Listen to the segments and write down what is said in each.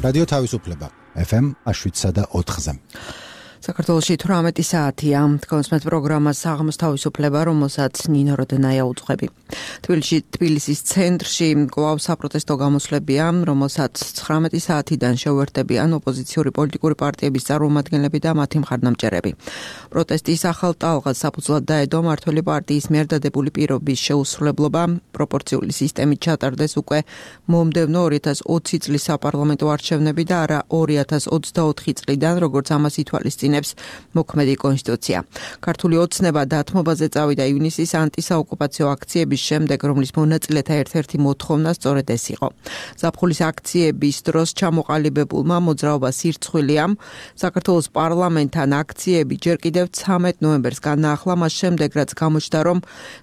რადიო თავისუფლება FM 107.4-ზე. საქართველოში 18 საათია. კონსმეთ პროგრამას საღამოს თავისუფლება, რომელსაც ნინო როდენაია უძღვები. თბილისის ცენტრში კვლავ საპროტესტო გამოსვლებია, რომელსაც 19 საათიდან შეუერთდებიან ოპოზიციური პოლიტიკური პარტიების წარმომადგენლები და მათი მხარდამჭერები. პროტესტის ახალ ტალღას საფუძვლად დაედო მმართველი პარტიის მიერ დადებული პირობის შეუსრულებლობა, პროპორციული სისტემით ჩატარდეს უკვე მომდევნო 2020 წლის საპარლამენტო არჩევნები და არა 2024 წლიდან, როგორც ამას ითვალისწინებს მოქმედი კონსტიტუცია. ქართული ოცნება დათმობაზე წავიდა ივნისის ანტისაოკუპაციო აქციების შემდეგ, რომლის მონაწილეთა ერთ-ერთი მოთხოვნა სწორედ ეს იყო. ზაფხულის აქციების დროს ჩამოყალიბებულმა მოძრაობას ირცხვილია. საქართველოს პარლამენტთან აქციები ჯერ კიდევ 13 ნოემბერს განაახლა, მას შემდეგ, რაც გამოჩნდა, რომ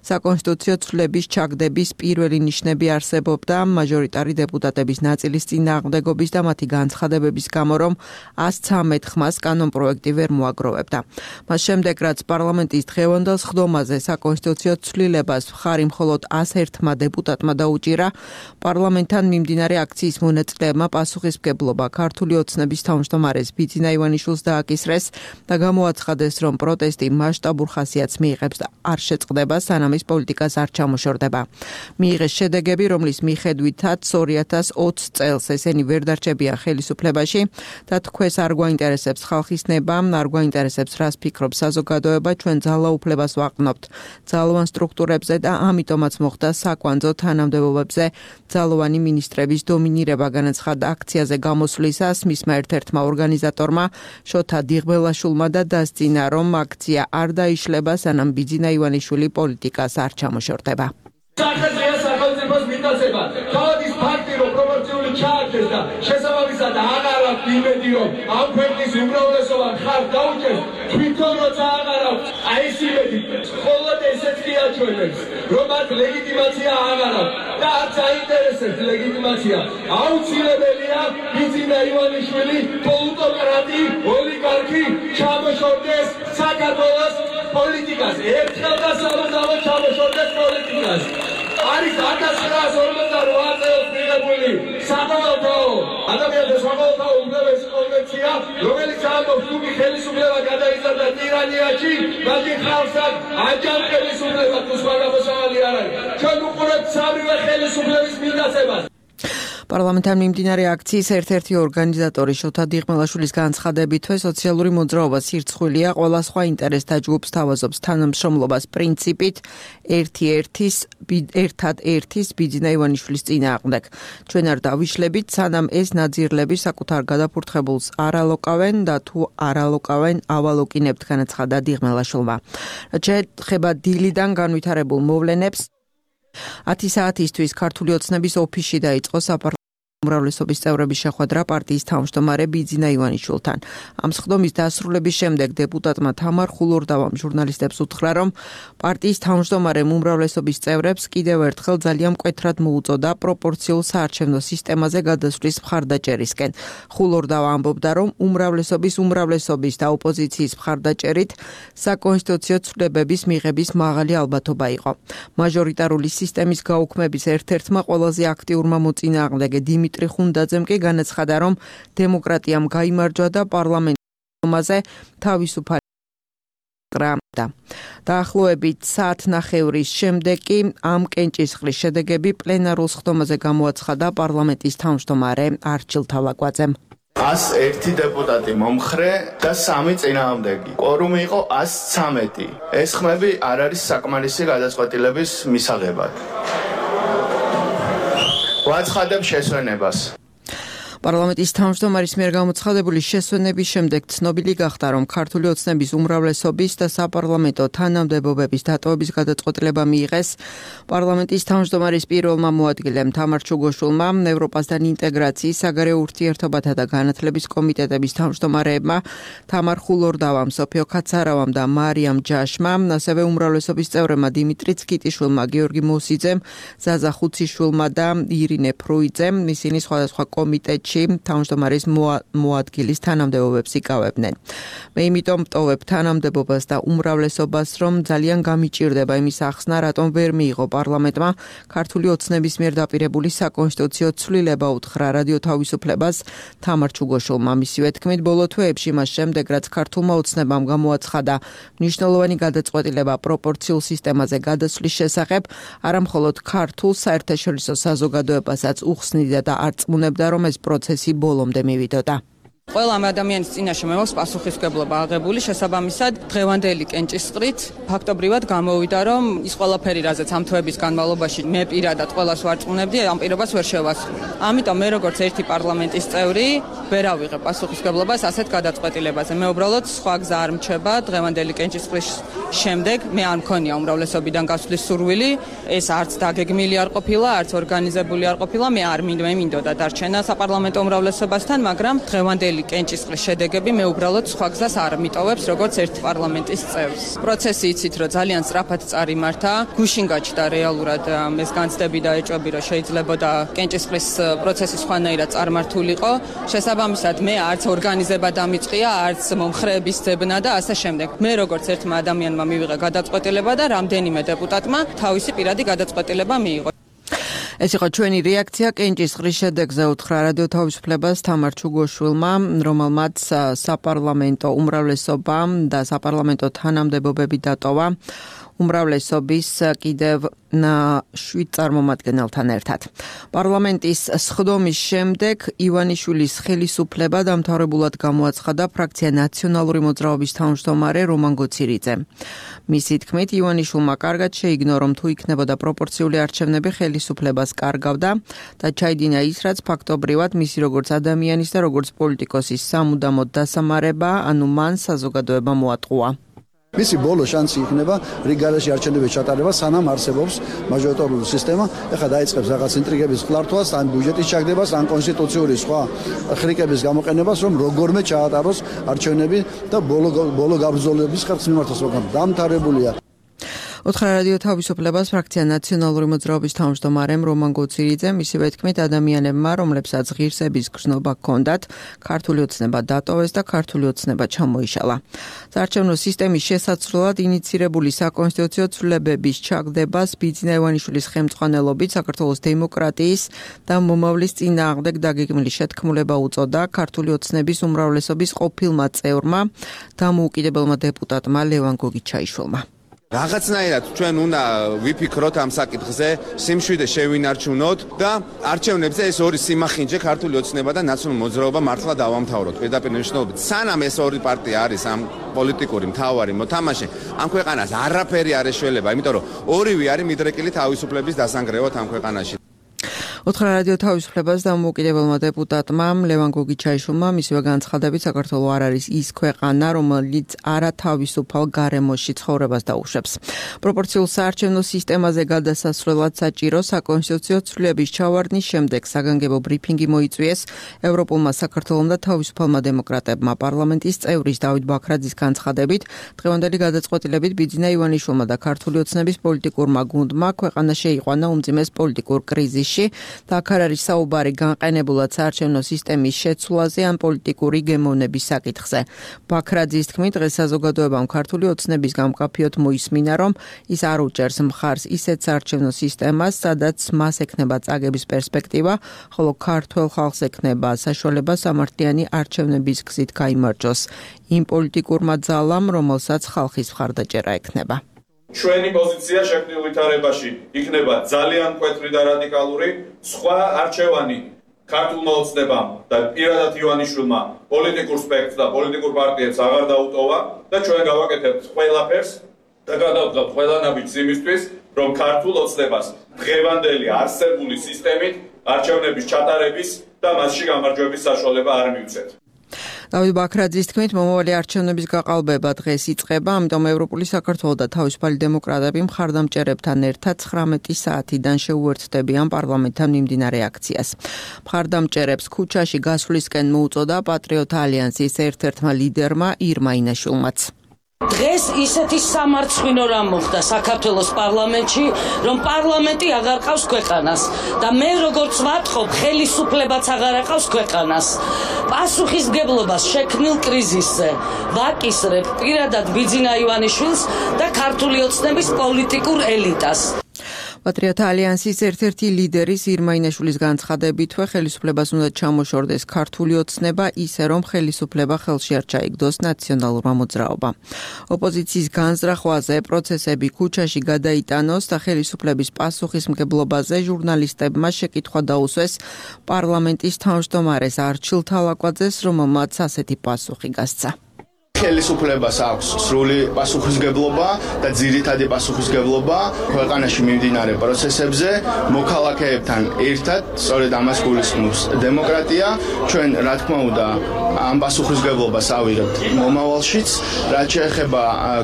საკონსტიტუციო ცვლილების ჩაგდების პირველი ნიშნები არსებობდა მაჟორიტარი დეპუტატების ნაწილის წინააღმდეგობის და მათი განცხადებების გამო, რომ 113 ხმას კანონპროექტი ვერ მოაგროვებდა. მას შემდეგ, რაც პარლამენტის დღევანდელ სხდომაზე საკონსტიტუციო ცვლილებას მხარი მხოლოდ 101 დეპუტატმა დაუჭირა, პარლამენტთან მიმდინარე აქციის მონაწილეებმა პასუხისმგებლობა ქართული ოცნების თავმჯდომარეს ბიძინა ივანიშვილს დააკისრეს და გამოაცხადეს, რომ პროტესტი მასშტაბურ ხასიათს მიიღებს და არ შეწყდება, სანამ ის პოლიტიკას არ ჩამოშორდება. მიიღეს შედეგები, რომლის მიხედვითაც 2020 წელს ესენი ვერ დარჩებიან ხელისუფლებაში და თქვენს არ გვაინტერესებს ხალხის ნება, არ გვაინტერესებს რას ფიქრობს საზოგადოება, ჩვენ ძალაუფლებას ვაყრდნობთ ძალოვან სტრუქტურებზე და ამიტომაც მოხდა საკვანძო თანამდებობებზე ძალოვანი მინისტრების დომინირება, განაცხადა აქციაზე გამოსვლისას მისმა ერთ-ერთმა ორგანიზატორმა შოთა დიღბელაშვილმა და დასძინა, რომ აქცია არ დაიშლება, სანამ ბიძინა ივანიშვილი პოლიტიკას არ ჩამოშორდება. საქართველოს სახელმწიფოს მიტაცება თავის ფაქტი რომ პროპორციული ჩააგდეს და შესაბამისად აღარ აქვს იმედი რომ ამ ქვეყნის უმრავლესობა ხარ დაუჭერს თვითონ როცა აღარ აქვს აი ეს იმედი მხოლოდ ესეც კი აჩვენებს რომ მათ ლეგიტიმაცია აღარ აქვს და არც აინტერესებს ლეგიტიმაცია აუცილებელია ბიძინა ივანიშვილი პოლიტოკრატი ოლიგარქი ჩამოშორდეს საქართველოს პოლიტიკას ერთხელ და სამუდამოდ ჩამოშორდეს პოლიტიკას არის 1948 წელს მიღებული საყოველთაო ადამიანთა საყოველთაო უდიდესი კონვენცია, რომელიც ამბობს, თუ ხელისუფლება გადაიზარდა ტირანიაში, მაშინ ხალხს აჯანყ ხელისუფლება თუ სხვა გამოსავალი არ არის. ჩვენ უყურებთ სამივე ხელისუფლების მიტაცებას. პარლამენტთან მიმდინარე აქციის ერთ-ერთი ორგანიზატორი შოთა დიღბელაშვილის განცხადებით, სოციალური მოძრაობა სირცხვილია, ყველა სხვა ინტერესთა ჯგუფს თავაზობს თანამშრომლობას პრინციპით ერთად ერთის ბიძინა ივანიშვილის წინააღმდეგ. ჩვენ არ დავიშლებით, სანამ ეს ნაძირლები საკუთარ გადაფურთხებულს არ ალოკავენ და თუ არ ალოკავენ, ავალოკინებთ, განაცხადა დიღბელაშვილმა. შეეხება დილიდან განვითარებულ მოვლენებს, 10 საათისთვის ქართული ოცნების ოფისში დაიწყო უმრავლესობის წევრების შეხვედრა პარტიის თავმჯდომარე ბიძინა ივანიშვილთან. ამ სხდომის დასრულების შემდეგ დეპუტატმა თამარ ხულორდავამ ჟურნალისტებს უთხრა, რომ პარტიის თავმჯდომარემ უმრავლესობის წევრებს კიდევ ერთხელ ძალიან მკვეთრად მოუწოდა პროპორციულ საარჩევნო სისტემაზე გადასვლის მხარდაჭერისკენ. ხულორდავა ამბობდა, რომ უმრავლესობის და ოპოზიციის მხარდაჭერით საკონსტიტუციო ცვლილებების მიღების მაღალი ალბათობა იყო. მაჟორიტარული სისტემის გაუქმების ერთ-ერთმა ყველაზე აქტიურმა მოწინააღმდეგე დიმიტრი ხუნდაძემ კი განაცხადა, რომ დემოკრატიამ გაიმარჯვა და პარლამენტზე თავისუფალი გრამდა. დაახლოებით საათნახევრის შემდეგ კი ამ კენჭისყრის შედეგები პლენარულ სხდომაზე გამოაცხადა პარლამენტის თავმჯდომარე არჩილ თავლაკვაძემ. 101 დეპუტატი მომხრე და 3 წინააღმდეგი. კვორუმი იყო 113. ეს ხმები არ არის საკმარისი გადაწყვეტილების მისაღებად. ვაცხადებ შესვენებას. პარლამენტის თავმჯდომარის მიერ გამოცხადებული შესვენების შემდეგ ცნობილი გახდა, რომ ქართული ოცნების უმრავლესობის და საპარლამენტო თანამდებობების დატოვების გადაწყვეტილება მიიღეს პარლამენტის თავმჯდომარის პირველმა მოადგილემ თამარ ჩუგოშვილმა, ევროპასთან ინტეგრაციის, საგარეო ურთიერთობათა და განათლების კომიტეტების თავმჯდომარეებმა თამარ ხულორდავამ, სოფიო კაცარავამ და მარიამ ჯაშმა, ასევე უმრავლესობის წევრებმა დიმიტრი ცკიტიშვილმა, გიორგი მოსიძემ, ზაზა ხუციშვილმა და ირინე ფრუიძემ, ისინი სხვადასხვა კომიტეტში პერიოდში თავმჯდომარის მოადგილის თანამდებობებს იკავებდნენ. მე იმიტომ ვტოვებ თანამდებობას და უმრავლესობას, რომ ძალიან გამიჭირდება იმის ახსნა, რატომ ვერ მიიღო პარლამენტმა ქართული ოცნების მიერ დაპირებული საკონსტიტუციო ცვლილება უთხრა რადიო თავისუფლებას თამარ ჩუგოშვილმა. მისივე თქმით, ბოლო თვეებში მას შემდეგ, რაც ქართულმა ოცნებამ გამოაცხადა მნიშვნელოვანი გადაწყვეტილება პროპორციულ სისტემაზე გადასვლის შესახებ, არამხოლოდ ქართულ საერთაშორისო საზოგადოებასაც უხსნიდა და არწმუნებდა, რომ ეს პროცესი ბოლომდე მივიდოდა. ყველა ამ ადამიანის წინაშე მე მაქვს პასუხისმგებლობა აღებული, შესაბამისად დღევანდელი კენჭისყრით ფაქტობრივად გამოვიდა, რომ ის ყველაფერი, რაზეც ამ თვეების განმავლობაში მე პირადად ყველას ვარწმუნებდი, ამ პირობას ვერ შევასრულე. ამიტომ მე როგორც ერთი პარლამენტის წევრი ვერ ავიღებ პასუხისმგებლობას ასეთ გადაწყვეტილებაზე. მე უბრალოდ სხვა გზა არ მრჩება დღევანდელი კენჭისყრის შემდეგ მე არ მქონია უმრავლესობიდან გასვლის სურვილი, ეს არც დაგეგმილი არ ყოფილა, არც ორგანიზებული არ ყოფილა, მე არ მინდოდა დარჩენა საპარლამენტო უმრავლესობასთან, მაგრამ დღევანდელი კენჭისყრის შედეგები მე უბრალოდ სხვა გზას არ მიტოვებს როგორც ერთ პარლამენტის წევრს. პროცესი იცით, რომ ძალიან სწრაფად წარიმართა, გუშინ გაჩნდა რეალურად ეს განცდები და ეჭვები, რომ შეიძლებოდა კენჭისყრის პროცესი სხვანაირად წარმართულიყო. შესაბამისად მე არც ორგანიზება დამიწყია, არც მომხრეების ძებნა და ასე შემდეგ. მე როგორც ერთმა ადამიანმა მივიღე გადაწყვეტილება და რამდენიმე დეპუტატმა თავისი პირადი გადაწყვეტილება მიიღო. ეს იყო ჩვენი რეაქცია კენჭისყრის შედეგზე უთხრა რადიო თავისუფლებას თამარ ჩუგოშვილმა, რომელმაც საპარლამენტო უმრავლესობა და საპარლამენტო თანამდებობები დატოვა უმრავლესობის კიდევ 7 წარმომადგენელთან ერთად. პარლამენტის სხდომის შემდეგ ივანიშვილის ხელისუფლება დამთავრებულად გამოაცხადა ფრაქცია ნაციონალური მოძრაობის თავმჯდომარე რომან გოცირიძე. მისი თქმით, ივანიშვილმა კარგად შეიგნო, რომ თუ იქნებოდა პროპორციული არჩევნები ხელისუფლებას კარგავდა და ჩაიდინა ის, რაც ფაქტობრივად მისი როგორც ადამიანის და როგორც პოლიტიკოსის სამუდამოდ დასამარება, ანუ მან საზოგადოება მოატყუა. მისი ბოლო შანსი იქნება რიგ-გარეშე არჩევნების ჩატარება, სანამ არსებობს მაჟორიტარული სისტემა. ეხლა დაიწყებს რაღაც ინტრიგების ხლართვას, ან ბიუჯეტის ჩაგდებას, ან კონსტიტუციური სხვა ხრიკების გამოყენებას, რომ როგორმე ჩაატაროს არჩევნები და ბოლო გაბრძოლების ხერხს მიმართოს, მაგრამ დამთავრებულია. უთხრა რადიო თავისუფლებას ფრაქცია ნაციონალური მოძრაობის თავმჯდომარემ რომან გოცირიძემ, მისივე თქმით, ადამიანებმა, რომლებსაც ღირსების გრძნობა ჰქონდათ, ქართული ოცნება დატოვეს და ქართული ოცნება ჩამოიშალა. საარჩევნო სისტემის შესაცვლელად ინიცირებული საკონსტიტუციო ცვლილებების ჩაგდებას ბიძინა ივანიშვილის ხელმძღვანელობით საქართველოს დემოკრატიის და მომავლის წინააღმდეგ დაგეგმილი შეთქმულება უწოდა ქართული ოცნების უმრავლესობის ყოფილმა წევრმა, დამოუკიდებელმა დეპუტატმა ლევან გოგიჩაიშვილმა. რაღაცნაირად ჩვენ უნდა ვიფიქროთ ამ საკითხზე, სიმშვიდე შევინარჩუნოთ და არჩევნებზე ეს ორი სიმახინჯე ქართული ოცნება და ნაციონალური მოძრაობა მართლა დავამთავროთ. პირდაპირ მნიშვნელობით, სანამ ეს ორი პარტია არის ამ პოლიტიკური მთავარი მოთამაშე, ამ ქვეყანას არაფერი არ ეშველება, იმიტომ რომ ორივე არის მიდრეკილი თავისუფლების დასანგრევად ამ ქვეყანაში. უთხრა რადიო თავისუფლებას დამოუკიდებელმა დეპუტატმა ლევან გოგიჩაიშვილმა მისივე განცხადებით, საქართველო არ არის ის ქვეყანა, რომელიც არათავისუფალ გარემოში ცხოვრებას დაუშვებს. პროპორციულ საარჩევნო სისტემაზე გადასასვლელად საჭირო საკონსტიტუციო ცვლილების ჩავარდნის შემდეგ საგანგებო ბრიფინგი მოიწვიეს ევროპულმა საქართველომ და თავისუფალმა დემოკრატებმა. პარლამენტის წევრის დავით ბაქრაძის განცხადებით, დღევანდელი გადაწყვეტილებით ბიძინა ივანიშვილმა და ქართული ოცნების პოლიტიკურმა გუნდმა ქვეყანა შეიყვანა უმძიმეს პოლიტიკურ კრიზისში და აქ არ არის საუბარი განყენებულად საარჩევნო სისტემის შეცვლაზე ან პოლიტიკური გემოვნების საკითხზე. ბაქრაძის თქმით, დღეს საზოგადოებამ ქართული ოცნების გამკაფიოდ მოისმინა, რომ ის არ უჭერს მხარს ისეთ საარჩევნო სისტემას, სადაც მას ექნება წაგების პერსპექტივა, ხოლო ქართველ ხალხს ექნება საშუალება სამართლიანი არჩევნების გზით გაიმარჯვოს იმ პოლიტიკურმა ძალამ, რომელსაც ხალხის მხარდაჭერა ექნება. ჩვენი პოზიცია შექმნილ ვითარებაში იქნება ძალიან მკვეთრი და რადიკალური. სხვა არჩევანი ქართულმა ოცნებამ და პირადად ივანიშვილმა პოლიტიკურ სპექტრს და პოლიტიკურ პარტიებს აღარ დაუტოვა და ჩვენ გავაკეთებთ ყველაფერს და გადავდგავთ ყველა ნაბიჯს იმისთვის, რომ ქართულ ოცნებას დღევანდელი არსებული სისტემით არჩევნების ჩატარების და მასში გამარჯვების საშუალება არ მივცეთ. დავით ბაქრაძის თქმით, მომავალი არჩევნების გაყალბება დღეს იწყება, ამიტომ ევროპული საქართველო და თავისუფალი დემოკრატები მხარდამჭერებთან ერთად 19 საათიდან შეუერთდებიან პარლამენტთან მიმდინარე აქციას. მხარდამჭერებს ქუჩაში გასვლისკენ მოუწოდა პატრიოტ ალიანსის ერთ-ერთმა ლიდერმა ირმა ინაშვილმაც. დღეს ისეთი სამარცხვინო რამ მოხდა საქართველოს პარლამენტში, რომ პარლამენტი აღარ ყავს ქვეყანას და მე როგორც ვატყობ, ხელისუფლებაც აღარ ყავს ქვეყანას. პასუხისმგებლობას შექმნილ კრიზისზე ვაკისრებ პირადად ბიძინა ივანიშვილს და ქართული ოცნების პოლიტიკურ ელიტას. პატრიოტთა ალიანსის ერთ-ერთი ლიდერის ირმა ინაშვილის განცხადებითვე ხელისუფლებას უნდა ჩამოშორდეს ქართული ოცნება ისე რომ ხელისუფლება ხელში არ ჩაიგდოს ნაციონალურმა მოძრაობამ. ოპოზიციის განზრახვაზე პროცესები ქუჩაში გადაიტანოს და ხელისუფლების პასუხისმგებლობაზე ჟურნალისტებმა შეკითხვა დაუსვეს პარლამენტის თავმჯდომარეს არჩილ თალაკვაძეს, რომელმაც ასეთი პასუხი გასცა. ხელისუფლებას აქვს სრული პასუხისმგებლობა და ძირითადი პასუხისმგებლობა ქვეყანაში მიმდინარე პროცესებზე მოქალაქეებთან ერთად, სწორედ ამას გულისხმობს დემოკრატია. ჩვენ რა თქმა უნდა ამ პასუხისმგებლობას ავიღებთ მომავალშიც, რაც შეეხება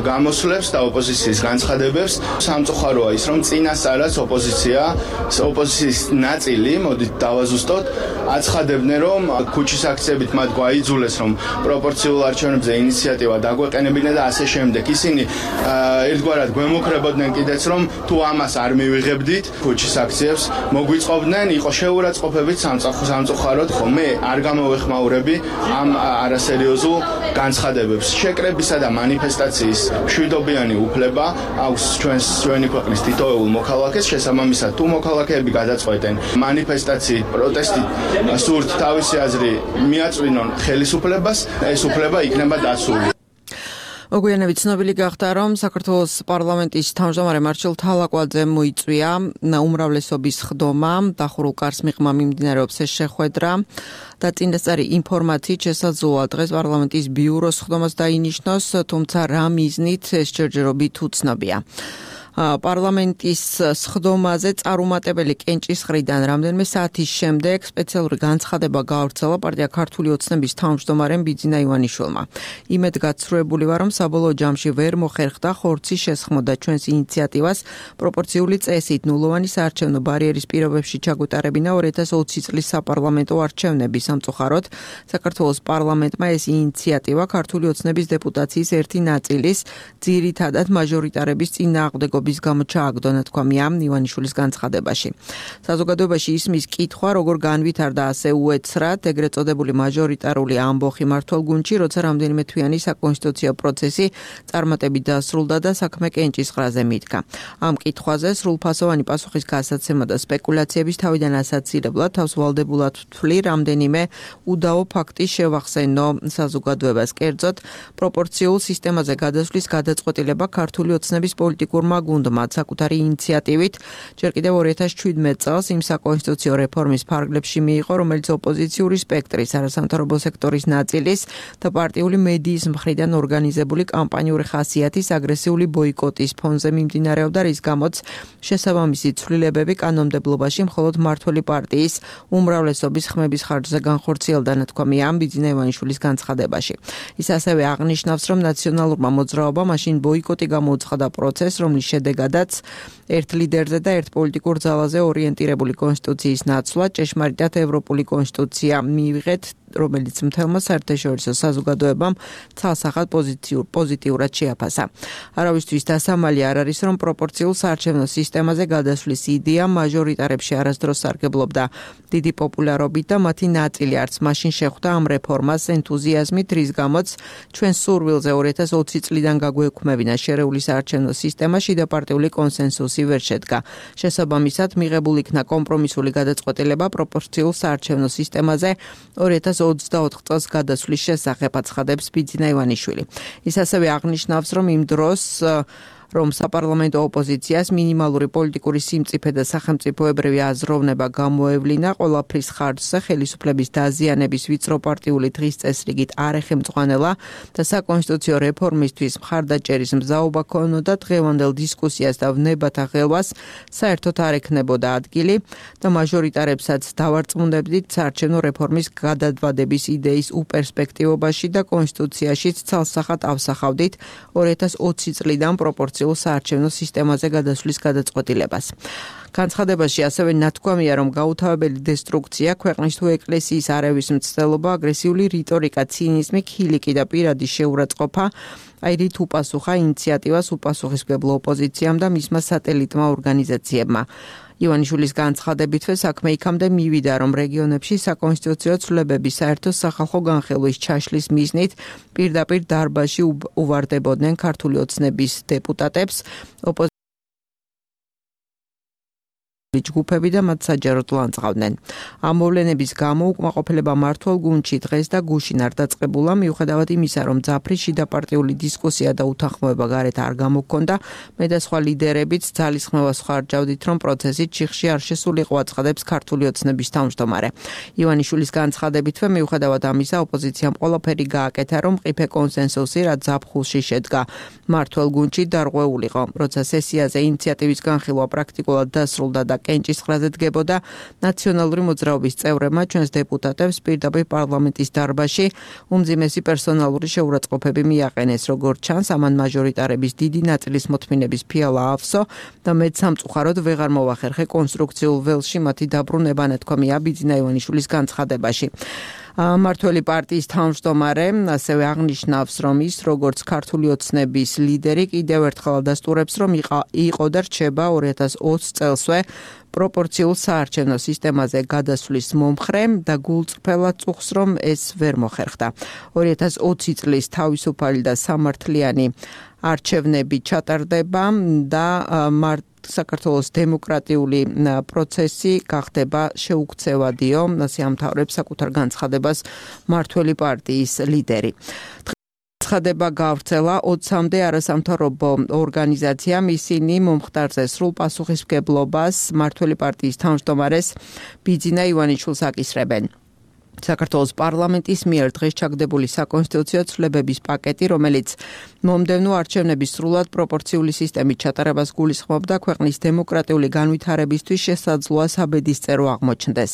გამოსვლებს და ოპოზიციის განცხადებებს. სამწუხაროა ის, რომ წინასწარაც ოპოზიციის ნაწილი, მოდით დავაზუსტოთ, აცხადებდნენ, რომ ქუჩის აქციებით მათ გვაიძულეს, რომ პროპორციულ არჩევნებზე ინიციატივა დაგვეყენებინა და ასე შემდეგ. ისინი ერთგვარად გვემუქრებოდნენ კიდეც, რომ თუ ამას არ მივიღებდით ქუჩის აქციებს, მოგვიწყობდნენ, იყო შეურაცხყოფებით სამწუხაროდ, ხო მე არ გამოვეხმაურები ამ არასერიოზულ განცხადებებს. შეკრებისა და მანიფესტაციის მშვიდობიანი უფლება აქვს ჩვენი ქვეყნის თითოეულ მოქალაქეს, შესაბამისად თუ მოქალაქეები გადაწყვეტენ მანიფესტაციით, პროტესტით სურთ თავისი აზრი მიაწვინონ ხელისუფლებას, ეს უფლება იქნება დაცული. მოგვიანებით ცნობილი გახდა, რომ საქართველოს პარლამენტის თავმჯდომარე მარჩილ თალაკვაძემ მოიწვია უმრავლესობის ხდომა, დახურულ კარს მიღმა მიმდინარეობს ეს შეხვედრა და წინასწარი ინფორმაციით შესაძლოა დღეს პარლამენტის ბიუროს ხდომას დაინიშნოს, თუმცა რა მიზნით ეს ჯერჯერობით უცნობია. პარლამენტის სხდომაზე წარუმატებელი კენჭისყრიდან რამდენიმე საათის შემდეგ სპეციალური განცხადება გაავრცელა პარტია ქართული ოცნების თავმჯდომარემ ბიძინა ივანიშვილმა. იმედგაცრუებული ვარ, რომ საბოლოო ჯამში ვერ მოხერხდა ხორცის შესხმოდა ჩვენს ინიციატივას პროპორციული წესით ნულოვანი საარჩევნო ბარიერის პირობებში ჩაგვეტარებინა 2020 წლის საპარლამენტო არჩევნები. სამწუხაროდ საქართველოს პარლამენტმა ეს ინიციატივა ქართული ოცნების დეპუტაციის ერთი ნაწილის ძირითადად მაჟორიტარების წინააღმდეგობის გამო ჩააგდო, ნათქვამია ივანიშვილის განცხადებაში. საზოგადოებაში ისმის კითხვა, როგორ განვითარდა ასე უეცრად ეგრეთ წოდებული მაჟორიტარული ამბოხი მმართველგუნდში, როცა რამდენიმე თვიანი საკონსტიტუციო პროცესი წარმატებით დასრულდა და საქმე კენჭისყრაზე მიდგა. ამ კითხვაზე სრულფასოვანი პასუხის გასაცემა და სპეკულაციების თავიდან ასაცილებლად თავს ვალდებულად ვთვლი რამდენიმე უდაო ფაქტი შევახსენო საზოგადოებას. კერძოდ, პროპორციულ სისტემაზე გადასვლის გადაწყვეტილება ქართული ოცნების პოლიტიკურმა გუნდმა საკუთარი ინიციატივით ჯერ კიდევ 2017 წელს იმ საკონსტიტუციო რეფორმის ფარგლებში მიიღო, რომელიც ოპოზიციური სპექტრის, არასამთავრობო სექტორის ნაწილის და პარტიული მედიის მხრიდან ორგანიზებული კამპანიური ხასიათის აგრესიული ბოიკოტის ფონზე მიმდინარეობდა, რის გამოც შესაბამისი ცვლილებები კანონმდებლობაში მხოლოდ მმართველი პარტიის უმრავლესობის ხმების ხარჯზე განხორციელდა, ნათქვამია ბიძინა ივანიშვილის განცხადებაში. ის ასევე აღნიშნავს, რომ ნაციონალურმა მოძრაობამ მაშინ ბოიკოტი გამოუცხადა პროცესს, რომლის შედეგადაც ერთ ლიდერზე და ერთ პოლიტიკურ ძალაზე ორიენტირებული კონსტიტუციის ნაცვლა ჭეშმარიტად ევროპული კონსტიტუცია მიიღეთ, რომელიც მთელმა საერთაშორისო საზოგადოებამ ცალსახად პოზიტიურად შეაფასა. არავისთვის დასამალი არ არის, რომ პროპორციულ საარჩევნო სისტემაზე გადასვლის იდეა მაჟორიტარებში არასდროს სარგებლობდა დიდი პოპულარობით და მათი ნაწილი არც მაშინ შეხვდა ამ რეფორმას ენთუზიაზმით, რის გამოც ჩვენ სურვილზე 2020 წლიდან გაგვექმებინა შერეული საარჩევნო სისტემა, შიდაპარტიული კონსენსუსი ვერ შედგა. შესაბამისად, მიღებულ იქნა კომპრომისული გადაწყვეტილება პროპორციულ საარჩევნო სისტემაზე 2024 წელს გადასვლის შესახებ, აცხადებს ბიძინა ივანიშვილი. ის ასევე აღნიშნავს, რომ იმ დროს რომ საპარლამენტო ოპოზიციას მინიმალური პოლიტიკური სიმწიფე და სახელმწიფოებრივი აზროვნება გამოევლინა ყველაფრის ხარჯზე ხელისუფლების დაზიანების ვიწრო პარტიული დღის წესრიგით არ ეხემწყვალა და საკონსტიტუციო რეფორმისთვის მხარდაჭერის მზაობა ქონოდა, დღევანდელ დისკუსიას და ვნებათა ღელვას საერთოდ არ ექნებოდა ადგილი და მაჟორიტარებსაც დავარწმუნებდით საარჩევნო რეფორმის გადადვადების იდეის უპერსპექტივობაში და კონსტიტუციაშიც ცალსახად ავსახავდით 2020 წლიდან პროპორციულ პროპორციულ საარჩევნო სისტემაზე გადასვლის გადაწყვეტილებას. განცხადებაში ასევე ნათქვამია, რომ გაუთავებელი დესტრუქცია, ქვეყნის თუ ეკლესიის არევის მცდელობა, აგრესიული რიტორიკა, ცინიზმი, ხილიკი და პირადი შეურაცხყოფა აირით უპასუხა ინიციატივას უპასუხისმგებლო ოპოზიციამ და მისმა სატელიტმა ორგანიზაციებმა. ივანიშვილის განცხადებითვე საქმე იქამდე მივიდა, რომ რეგიონებში საკონსტიტუციო ცვლილებების საერთო სახალხო განხილვის ჩაშლის მიზნით პირდაპირ დარბაზში უვარდებოდნენ ქართული ოცნების დეპუტატებს, ჯგუფები და მათ საჯაროდ ლანძღავდნენ. ამ მოვლენების გამო უკმაყოფილება მმართველ გუნდში დღეს და გუშინ არ დაწყებულა, მიუხედავად იმისა, რომ ძაფრი შიდაპარტიული დისკუსია და უთანხმოება გარეთ არ გამოჰქონდა, მე და სხვა ლიდერებიც ძალისხმევას ხარჯავდით, რომ პროცესი ჩიხში არ შესულიყო, აცხადებს ქართული ოცნების თავმჯდომარე. ივანიშვილის განცხადებითვე, მიუხედავად ამისა, ოპოზიციამ ყველაფერი გააკეთა, რომ მყიფე კონსენსუსი, რაც ზაფხულში შედგა მმართველ გუნდში, დარღვეულიყო. როცა სესიაზე ინიციატივის განხილვა პრაქტიკულად დასრულდა და კენჭის ხრაზე დგებოდა, ნაციონალური მოძრაობის წევრებმა ჩვენს დეპუტატებს პირდაპირ პარლამენტის დარბაზში უმძიმესი პერსონალური შეურაცხყოფები მიაყენეს. როგორც ჩანს, ამან მაჟორიტარების დიდი ნაწილის მოთმინების ფიალა ავსო და მეც სამწუხაროდ ვეღარ მოვახერხე კონსტრუქციულ ველში მათი დაბრუნება, ნათქვამია ბიძინა ივანიშვილის განცხადებაში. მმართველი პარტიის თავმჯდომარე ასევე აღნიშნავს, რომ ის როგორც ქართული ოცნების ლიდერი კიდევ ერთხელ ადასტურებს, რომ იყო და რჩება 2020 წელსვე პროპორციულ საარჩევნო სისტემაზე გადასვლის მომხრე და გულწრფელად წუხს, რომ ეს ვერ მოხერხდა. 2020 წლის თავისუფალი და სამართლიანი არჩევნები ჩატარდება და საქართველოს დემოკრატიული პროცესი გახდება შეუქცევადიო, ასე ამთავრებს საკუთარ განცხადებას მმართველი პარტიის ლიდერი. განცხადება გავრცელა 20-მდე არასამთავრობო ორგანიზაციამ, ისინი მომხდარზე სრულ პასუხისმგებლობას მმართველი პარტიის თავმჯდომარეს ბიძინა ივანიშვილს აკისრებენ. საქართველოს პარლამენტის მიერ დღეს ჩაგდებული საკონსტიტუციო ცვლილებების პაკეტი, რომელიც მომდევნო არჩევნების სრულად პროპორციული სისტემით ჩატარებას გულისხმობდა, ქვეყნის დემოკრატიული განვითარებისთვის შესაძლოა საბედისწერო აღმოჩნდეს.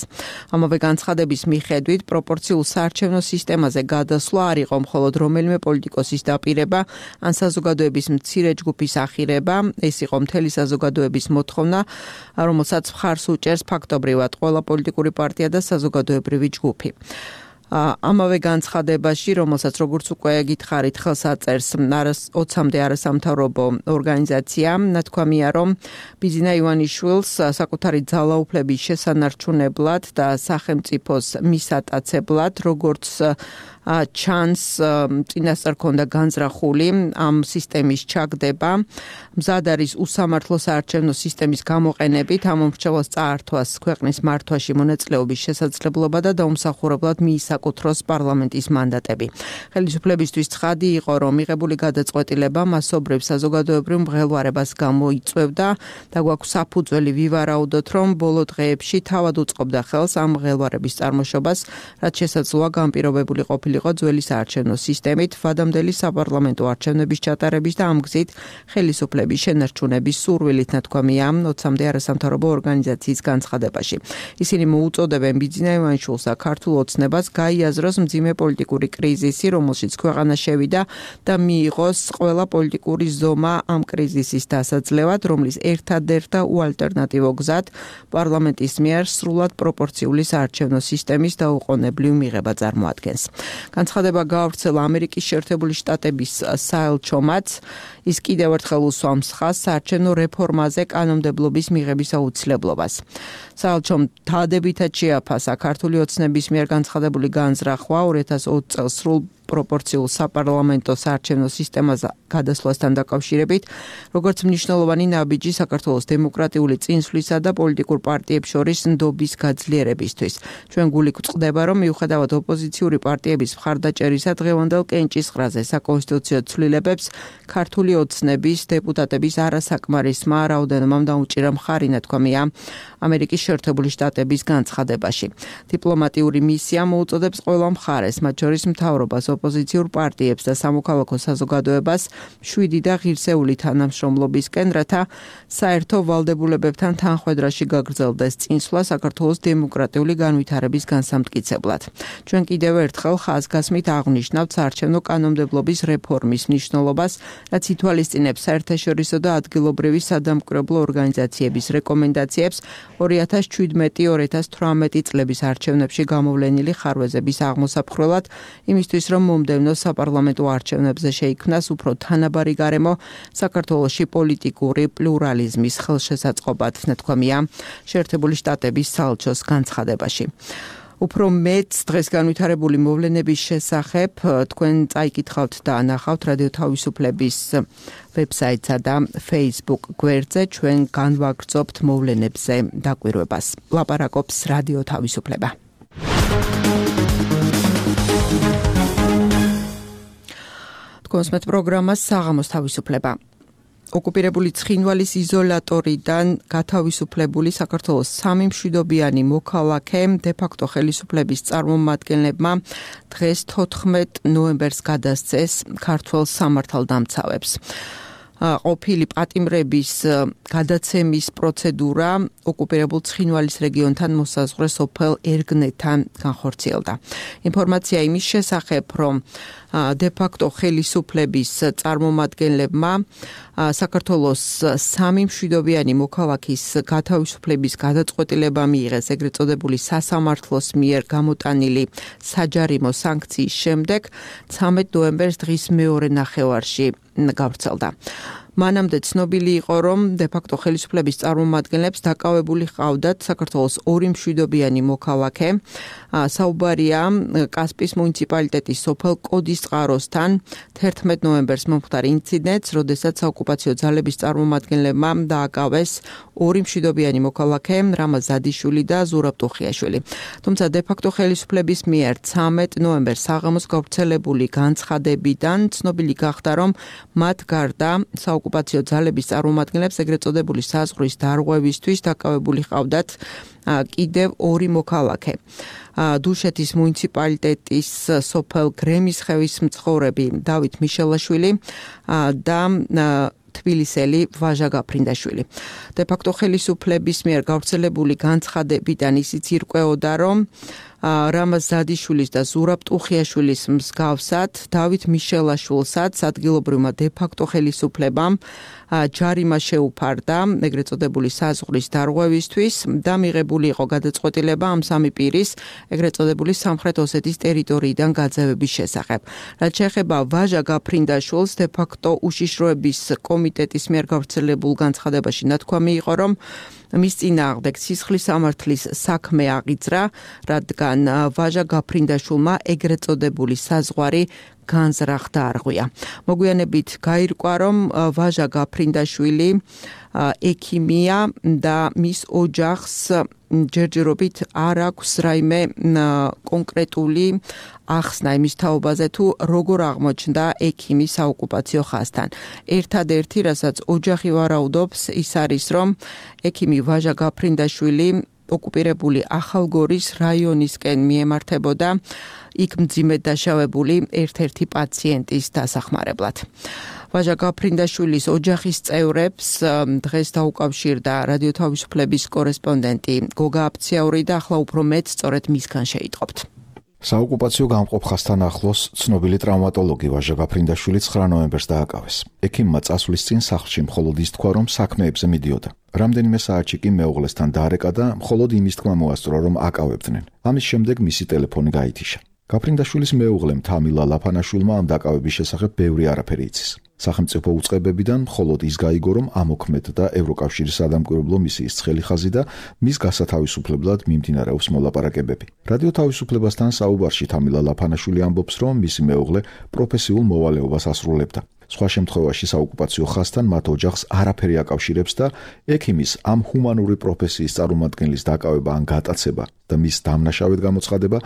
ამავე განცხადების მიხედვით, პროპორციულ საარჩევნო სისტემაზე გადასვლა არ იყო მხოლოდ რომელიმე პოლიტიკოსის დაპირება ან საზოგადოების მცირე ჯგუფის ახირება, ეს იყო მთელი საზოგადოების მოთხოვნა, რომელსაც მხარს უჭერს ფაქტობრივად ყველა პოლიტიკური პარტია და საზოგადოებრივი ჯგუფი. ამავე განცხადებაში, რომელსაც როგორც უკვე გითხარით, ხელს აწერს 20-მდე არასამთავრობო ორგანიზაცია, ნათქვამია, რომ ბიძინა ივანიშვილს საკუთარი ძალაუფლების შესანარჩუნებლად და სახელმწიფოს მისატაცებლად, როგორც ჩანს, წინასწარ ქონდა განზრახული ამ სისტემის ჩაგდება, მზად არის უსამართლო საარჩევნო სისტემის გამოყენებით ამ მომრჩევას წაართვას ქვეყნის მართვაში მონაწილეობის შესაძლებლობა და დაუმსახურებლად მიისაკუთროს პარლამენტის მანდატები. ხელისუფლებისთვის ცხადი იყო, რომ მიღებული გადაწყვეტილება მასობრივ საზოგადოებრივ მღელვარებას გამოიწვევდა და გვაქვს საფუძველი ვივარაუდოთ, რომ ბოლო დღეებში თავად უწყობდა ხელს ამ მღელვარების წარმოშობას, რაც შესაძლოა განპირობებული ყოფილიყო ძველი საარჩევნო სისტემით, ვადამდელი საპარლამენტო არჩევნების ჩატარების და ამ გზით ხელისუფლების შენარჩუნების სურვილით, ნათქვამია 20-მდე არასამთავრობო ორგანიზაციის განცხადებაში. ისინი მოუწოდებენ ბიძინა ივანიშვილს და ქართულ ოცნებას გაიაზროს მძიმე პოლიტიკური კრიზისი, რომელშიც ქვეყანა შევიდა და მიიღოს ყველა პოლიტიკური ზომა ამ კრიზისის დასაძლევად, რომლის ერთადერთ და უალტერნატივო გზად პარლამენტის მიერ სრულად პროპორციული საარჩევნო სისტემის დაუყოვნებლივ მიღება წარმოადგენს. განცხადება გავრცელა ამერიკის შეერთებული შტატების საელჩომაც, ის კიდევ ერთხელ უსვამს ხაზს საარჩევნო რეფორმაზე კანონმდებლობის მიღების აუცილებლობას. საელჩომ დადებითად შეაფასა ქართული ოცნების მიერ განცხადებული განზრახვა 2020 წელს სრულ პროპორციულ საპარლამენტო საარჩევნო სისტემაზე გადასვლასთან დაკავშირებით, როგორც მნიშვნელოვანი ნაბიჯი საქართველოს დემოკრატიული წინსვლისა და პოლიტიკურ პარტიებს შორის ნდობის გაძლიერებისთვის. ჩვენ გული გვწყდება, რომ მიუხედავად ოპოზიციური პარტიების მხარდაჭერისა დღევანდელ კენჭისყრაზე საკონსტიტუციო ცვლილებებს ქართული ოცნების დეპუტატების არასაკმარისმა რაოდენობამ დაუჭირა მხარი, ნათქვამია ამერიკის შეერთებული შტატების განცხადებაში. დიპლომატიური მისია მოუწოდებს ყველა მხარეს, მათ შორის მთავრობას, ოპოზიციურ პარტიებს და სამოქალაქო საზოგადოებას 7 და ღირსეული თანამშრომლობისკენ, რათა საერთო ვალდებულებებთან თანხვედრაში გაგრძელდეს წინსვლა საქართველოს დემოკრატიული განვითარების განსამტკიცებლად. ჩვენ კიდევ ერთხელ ხაზგასმით აღნიშნავთ საარჩევნო კანონმდებლობის რეფორმის მნიშვნელობას, რაც ითვალისწინებს საერთაშორისო და ადგილობრივი სადამკვირვებლო ორგანიზაციების რეკომენდაციებს 2017-2018 წლების არჩევნებში გამოვლენილი ხარვეზების აღმოსაფხრელად, იმისთვის რომ მომდევნო საპარლამენტო არჩევნებზე შეიქმნას უფრო თანაბარი გარემო საქართველოში პოლიტიკური პლურალიზმის ხელშესაწყობად, ნათქვამია შეერთებული შტატების საელჩოს განცხადებაში. უფრო მეც დღეს განვითარებული მოვლენების შესახებ თქვენ წაიკითხავთ და ანახავთ რადიო თავისუფლების ვებსაიტსა და Facebook გვერდზე, ჩვენ განვაგრძობთ მოვლენებზე დაკვირვებას. ლაპარაკობს რადიო თავისუფლება. თქვენს პროგრამას საღამოს თავისუფლება. ოკუპირებული ცხინვალის იზოლატორიდან გათავისუფლებული საქართველოს 3 მშვიდობიანი მოქალაქე დე-ფაქტო ხელისუფლების წარმომადგენლებმა დღეს 14 ნოემბერს გადასცეს ქართველ სამართალდამცავებს. ყოფილი პატიმრების გადაცემის პროცედურა ოკუპირებულ ცხინვალის რეგიონთან მოსაზღვრე სოფელ ერგნეთთან განხორციელდა. ინფორმაცია იმის შესახებ, რომ დე-ფაქტო ხელისუფლების წარმომადგენლებმა საქართველოს 3 მშვიდობიანი მოქალაქის გათავისუფლების გადაწყვეტილება მიიღეს ეგრეთ წოდებული სასამართლოს მიერ გამოტანილი საჯარიმო სანქციის შემდეგ 13 ნოემბერს დღის მეორე ნახევარში გავრცელდა. მანამდე ცნობილი იყო, რომ დე-ფაქტო ხელისუფლების წარმომადგენლებს დაკავებული ჰყავდათ საქართველოს 2 მშვიდობიანი მოქალაქე. საუბარია კასპის მუნიციპალიტეტის სოფელ კოდისწყაროსთან 11 ნოემბერს მომხდარ ინციდენტს, როდესაც საოკუპაციო ძალების წარმომადგენლებმა დააკავეს 2 მშვიდობიანი მოქალაქე, რამაზ ზადიშვილი და ზურაბ ტუხიაშვილი. თუმცა დე-ფაქტო ხელისუფლების მიერ 13 ნოემბერს საღამოს გავრცელებული განცხადებიდან ცნობილი გახდა, რომ მათ გარდა ოკუპაციო ძალების წარმომადგენლებს ეგრეთ წოდებული საზღვრის დარღვევისთვის დაკავებული ჰყავდათ კიდევ 2 მოქალაქე. დუშეთის მუნიციპალიტეტის სოფელ გრემისხევის მცხოვრები დავით მიშელაშვილი და თბილისელი ვაჟა გაფრინდაშვილი. დე-ფაქტო ხელისუფლების მიერ გავრცელებული განცხადებიდან ისიც ირკვეოდა, რომ რამაზ ზადიშვილის და ზურაბ ტუხიაშვილის მსგავსად დავით მიშელაშვილსაც ადგილობრივმა დე-ფაქტო ხელისუფლებამ ჯარიმა შეუფარდა ეგრეთ წოდებული საზღვრის დარღვევისთვის და მიღებული იყო გადაწყვეტილება ამ 3 პირის ეგრეთ წოდებული სამხრეთ ოსეთის ტერიტორიიდან გაძევების შესახებ. რაც შეეხება ვაჟა გაფრინდაშვილს, დე-ფაქტო უშიშროების კომიტეტის მიერ გავრცელებულ განცხადებაში ნათქვამი იყო, რომ მის წინააღმდეგ სისხლის სამართლის საქმე აღიძრა, რადგან ვაჟა გაფრინდაშვილმა ეგრეთ წოდებული საზღვარი განზრახდა არღვია. მოგვიანებით გაირკვა, რომ ვაჟა გაფრინდაშვილი ექიმია და მის ოჯახს ჯერჯერობით არ აქვს რაიმე კონკრეტული ახსნა იმის თაობაზე, თუ როგორ აღმოჩნდა ექიმი საოკუპაციო ხაზთან. ერთადერთი, რასაც ოჯახი ვარაუდობს, ის არის, რომ ექიმი ვაჟა გაფრინდაშვილი ოკუპირებული ახალგორის რაიონისკენ მიემართებოდა იქ მძიმედ დაშავებული ერთ-ერთი პაციენტის დასახმარებლად. ვაჟა გაფრინდაშვილის ოჯახის წევრებს დღეს დაუკავშირდა რადიო თავისუფლების კორესპონდენტი გოგა აფციაური და ახლა უფრო მეც სწორედ მისგან შეიტყობთ. საოკუპაციო გამყოფ ხაზთან ახლოს ცნობილი ტრავმატოლოგი ვაჟა გაფრინდაშვილი 9 ნოემბერს დააკავეს. ექიმმა წასვლის წინ სახლში მხოლოდ ის თქვა, რომ საქმეებზე მიდიოდა. რამდენიმე საათში კი მეუღლესთან დაარეკა და მხოლოდ იმის თქმა მოასწრო, რომ აკავებდნენ. ამის შემდეგ მისი ტელეფონი გაითიშა. გაფრინდაშვილის მეუღლემ თამილა ლაფანაშვილმა ამ დაკავების შესახებ ბევრი არაფერი იცის. სახელმწიფო უწყებებიდან მხოლოდ ის გაიგო, რომ ამოქმედ და ევროკავშირის სადამკვირვებლო მისიის ცხელი ხაზი და მის გასათავისუფლებლად მიმდინარეობს მოლაპარაკებები. რადიო თავისუფლებასთან საუბარში თამილა ლაფანაშვილი ამბობს, რომ მისი მეუღლე პროფესიულ მოვალეობას ასრულებდა. სხვა შემთხვევაში საოკუპაციო ხაზთან მათ ოჯახს არაფერი აკავშირებს და ექიმის ამ ჰუმანური პროფესიის წარმომადგენლის დაკავება ან გატაცება და მის დამნაშავედ გამოცხადება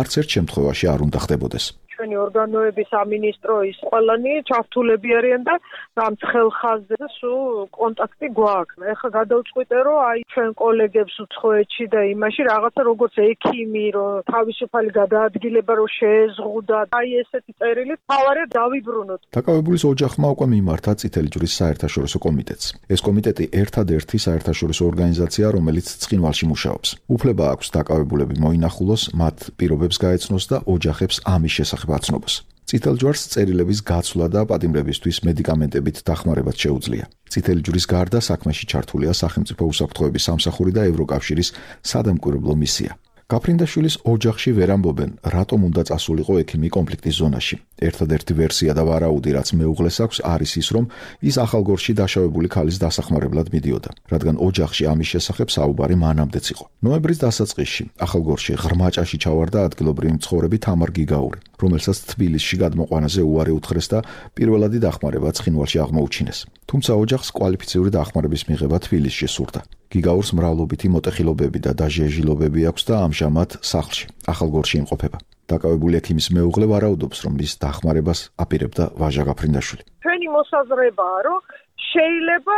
არც ერთ შემთხვევაში არ უნდა ხდებოდეს. ჩვენ ჩვენი ორგანოების სამინისტრო ის ყველანი ჩართულები არიან და ამ ხელხაზზე სულ კონტაქტი გვაქვს. ეხლა გადავწყვიტე რომ აი ჩვენ კოლეგებს უცხოეთში და იმაში რაღაცა როგორც ექიმი რომ თავისუფალი გადაადგილება რომ შეეზღუდა აი ესეთი წერილი თავარად დავიბრუნოთ. დაკავებულის ოჯახმა უკვე მიმართა წითელი ჯვრის საერთაშორისო კომიტეტს. ეს კომიტეტი ერთადერთი საერთაშორისო ორგანიზაცია, რომელიც ცხინვალში მუშაობს. უფლება აქვს დაკავებულები მოინახულოს, მათ პირობებს გაეცნოს და ოჯახებს ამის შესახებ აცნობას. წითელ ჯვარს წერილების გაცვლა და პატიმრებისთვის მედიკამენტებით დახმარებაც შეუძლია. წითელი ჯვრის გარდა საქმეში ჩართულია სახელმწიფო უსაფრთხოების სამსახური და ევროკავშირის სადამკვირვებლო მისია. გაფრინდაშვილის ოჯახში ვერ ამბობენ, რატომ უნდა წასულიყო ექიმი კონფლიქტის ზონაში. ერთადერთი ვერსია და ვარაუდი, რაც მეუღლეს აქვს, არის ის, რომ ის ახალგორში დაშავებული ქალის დასახმარებლად მიდიოდა, რადგან ოჯახში ამის შესახებ საუბარი მანამდეც იყო. ნოემბრის დასაწყისში ახალგორში ღრმა ჭაში ჩავარდა ადგილობრივი მცხოვრები თამარ გიგაური, რომელსაც თბილისში გადმოყვანაზე უარი უთხრეს და პირველადი დახმარება ცხინვალში აღმოუჩინეს. თუმცა ოჯახს კვალიფიციური დახმარების მიღება თბილისში სურდა. გიგაურს მრავლობითი მოტეხილობები და დაჟიაჟილობები აქვს და ამჟამად სახლში, ახალგორში იმყოფება. დაკავებული ექიმის მეუღლე ვარაუდობს, რომ ის დახმარებას აპირებდა ვაჟა გაფრინდაშვილი. ჩვენი მოსაზრებაა, რომ შეიძლება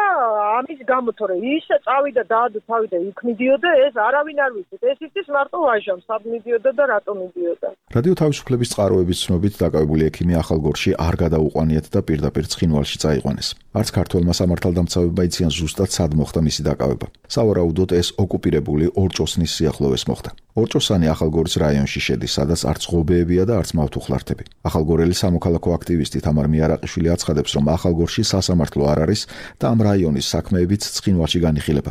ამის გამო თორე ისე წავიდა დაადო თავი და იქ მიდიოდა, ეს არავინ არ ვიცით. ეს იცის მარტო ვაჟამ, სად მიდიოდა და რატომ მიდიოდა. რადიო თავისუფლების წყაროების ცნობით დაკავებული ექიმი ახალგორში არ გადაუყვანიათ და პირდაპირ ცხინვალში წაიყვანეს. არც ქართველმა სამართალდამცავებმა იციან ზუსტად სად მოხდა მისი დაკავება. სავარაუდოდ ეს ოკუპირებული ორჭოსნის სიახლოვეს მოხდა. ორჭოსანი ახალგორის რაიონში შედის, სადაც არც ღობეებია და არც მავთუხლართები. ახალგორელი სამოქალაქო აქტივისტი თამარ მიარაყიშვილი აცხადებს, რომ ახალგორში სასამართლო არ არის და ამ რაიონის საქმეებიც ცხინვალში განიხილება.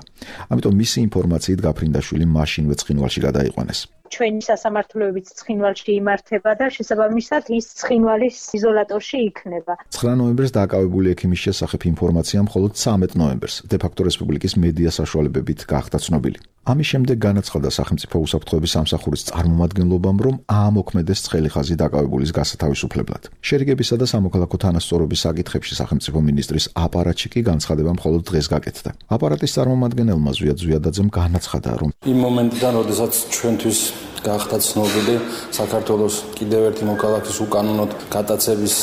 ამიტომ მისი ინფორმაციით გაფრინდაშვილი მაშინვე ცხინვალში გადაიყვანეს. ჩვენი სასამართლოებიც ცხინვალში იმართება და შესაბამისად ის ცხინვალის იზოლატორში იქნება. 9 ნოემბერს დაკავებული ექიმის შესახებ ინფორმაცია მხოლოდ 13 ნოემბერს დე-ფაქტო რესპუბლიკის მედია საშუალებებით გახდა ცნობილი. ამის შემდეგ განაცხადა სახელმწიფო უსაფრთხოების სამსახურის წარმომადგენლობამ, რომ აამოქმედეს ცხელი ხაზი დაკავებულის გასათავისუფლებლად. შერიგებისა და სამოქალაქო თანასწორობის საკითხებში სახელმწიფო მინისტრის აპარატში კი განცხადება მხოლოდ დღეს გაკეთდა. აპარატის წარმომადგენელმა ზვიად ზვიადაძემ განაცხადა, რომ იმ მომენტიდან, როდესაც ჩვენთვის გახდა ცნობილი საქართველოს კიდევ ერთი მოქალაქის უკანონოდ გატაცების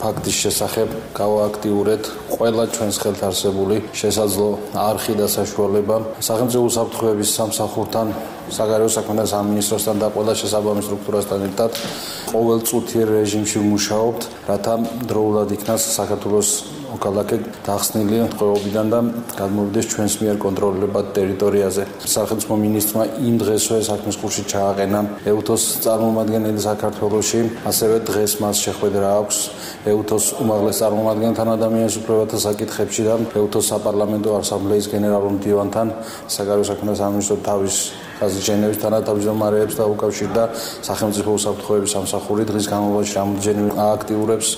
ფაქტის შესახებ, გავააქტიურეთ ყველა ჩვენს ხელთ არსებული შესაძლო არხი და საშუალება სახელმწიფო უსაფრთხოების სამსახურთან, საგარეო საქმეთა სამინისტროსთან და ყველა შესაბამის სტრუქტურასთან ერთად ყოველწუთიერ რეჟიმში ვმუშაობთ, რათა დროულად იქნას საქართველოს მოქალაქე დახსნილი ტყვეობიდან და გადმოვიდეს ჩვენს მიერ კონტროლირებად ტერიტორიაზე. სახელმწიფო მინისტრმა იმ დღესვე საქმის კურსში ჩააყენა ეუთოს წარმომადგენელი საქართველოში, ასევე დღეს მას შეხვედრა აქვს ეუთოს უმაღლეს წარმომადგენელთან ადამიანის უფლებათა საკითხებში და ეუთოს საპარლამენტო ასამბლეის გენერალურ მდივანთან, საგარეო საქმეთა სამინისტრო თავის ჟენევის თანათავმჯდომარეებს და უკავშირდა სახელმწიფო უსაფრთხოების სამსახური დღის განმავლობაში რამდენჯერმე აქტიურებს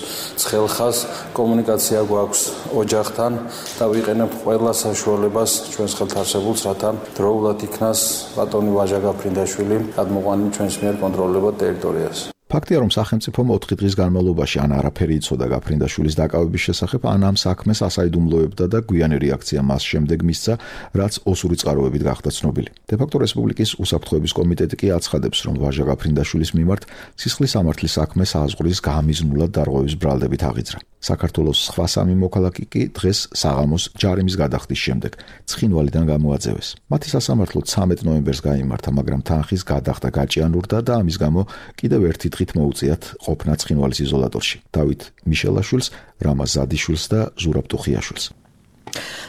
ცხელ ხაზს, კომუნიკაცია გვაქვს ოჯახთან და ვიყენებ ყველა საშუალებას ჩვენს ხელთ არსებულს, რათა დროულად იქნას ბატონი ვაჟა გაფრინდაშვილი გადმოყვანილი ჩვენს მიერ კონტროლირებად ტერიტორიაზე. ფაქტია, რომ სახელმწიფომ 4 დღის განმავლობაში ან არაფერი იცოდა გაფრინდაშვილის დაკავების შესახებ, ან ამ საქმეს ასაიდუმლოებდა და გვიანი რეაქცია მას შემდეგ მისცა, რაც ოსური წყაროებით გახდა ცნობილი. დე-ფაქტო რესპუბლიკის უსაფრთხოების კომიტეტი კი აცხადებს, რომ ვაჟა გაფრინდაშვილის მიმართ სისხლის სამართლის საქმე საზღვრის გამიზნულად დარღვევის ბრალდებით აღიძრა. საქართველოს სხვა 3 მოქალაქე კი დღეს საღამოს ჯარიმის გადახდის შემდეგ ცხინვალიდან გამოაძევეს. მათი სასამართლო 13 ნოემბერს გაიმართა, მაგრამ თანხის გადახდა გაჭიანურდა და ამის გამო კიდევ ერთი დღით მოუწიათ ყოფნა ცხინვალის იზოლატორში. დავით მიშელაშვილს, რამაზ ზადიშვილს და ზურაბ ტუხიაშვილს.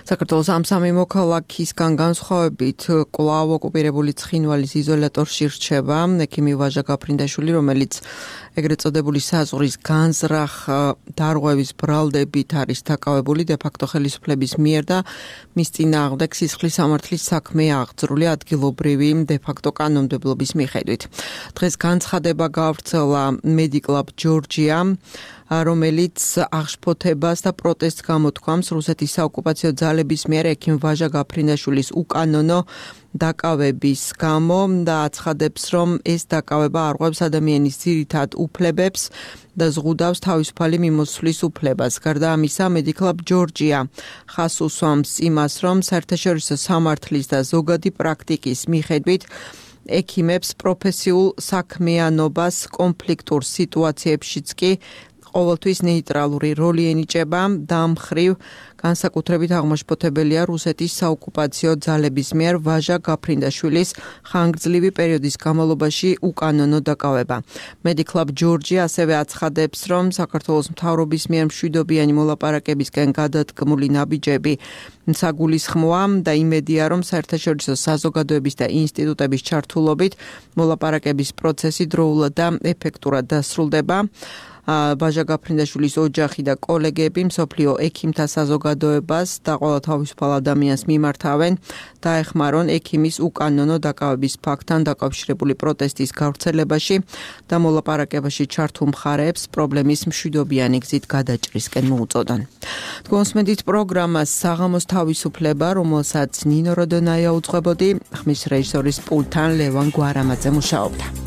საქართველოს ამ 3 მოქალაქისგან განსხვავებით კვლავ ოკუპირებული ცხინვალის იზოლატორში რჩება ექიმი ვაჟა გაფრინდაშვილი, რომელიც ეგრეთ წოდებული საზღვრის განზრახ დარღვევის ბრალდებით არის დაკავებული დე-ფაქტო ხელისუფლების მიერ და მის წინააღმდეგ სისხლის სამართლის საქმე აღძრული ადგილობრივი დე-ფაქტო კანონმდებლობის მიხედვით. დღეს განცხადება გავრცელა მედიკლაბ ჯორჯია, რომელიც აღშფოთებას და პროტესტს გამოთქვამს რუსეთის საოკუპაციო ძალების მიერ ექიმ ვაჟა გაფრინდაშვილის უკანონო დაკავების გამო და აცხადებს, რომ ეს დაკავება არღვევს ადამიანის ძირითად უფლებებს და ზღუდავს თავისუფალი მიმოცვლის უფლებას. გარდა ამისა, მედიკლაბ ჯორჯია ხაზს უსვამს იმას, რომ საერთაშორისო სამართლის და ზოგადი პრაქტიკის მიხედვით ექიმებს პროფესიულ საქმიანობას კონფლიქტურ სიტუაციებშიც კი ყოველთვის ნეიტრალური როლი ენიჭება და ამ მხრივ განსაკუთრებით აღმაშფოთებელია რუსეთის საოკუპაციო ძალების მიერ ვაჟა გაფრინდაშვილის ხანგრძლივი პერიოდის განმავლობაში უკანონო დაკავება. Medic-Club Georgia ასევე აცხადებს, რომ საქართველოს მთავრობის მიერ მშვიდობიანი მოლაპარაკებისკენ გადადგმული ნაბიჯები საგულისხმოა და იმედია, რომ საერთაშორისო საზოგადოების და ინსტიტუტების ჩართულობით მოლაპარაკების პროცესი დროულად და ეფექტურად დასრულდება. ვაჟა გაფრინდაშვილის ოჯახი და კოლეგები მსოფლიო ექიმთა საზოგადოებას და ყველა თავისუფალ ადამიანს მიმართავენ და ეხმარონ ექიმის უკანონო დაკავების ფაქტთან დაკავშირებული პროტესტის გავრცელებაში და მოლაპარაკებაში ჩართულ მხარეებს პრობლემის მშვიდობიანი გზით გადაჭრისკენ მოუწოდონ. თქვენსმენდით პროგრამას საღამოს თავისუფლება, რომელსაც ნინო როდონაია უძღვებოდი, ხმის რეჟისორის პულტთან ლევან გვარამაძე მუშაობდა.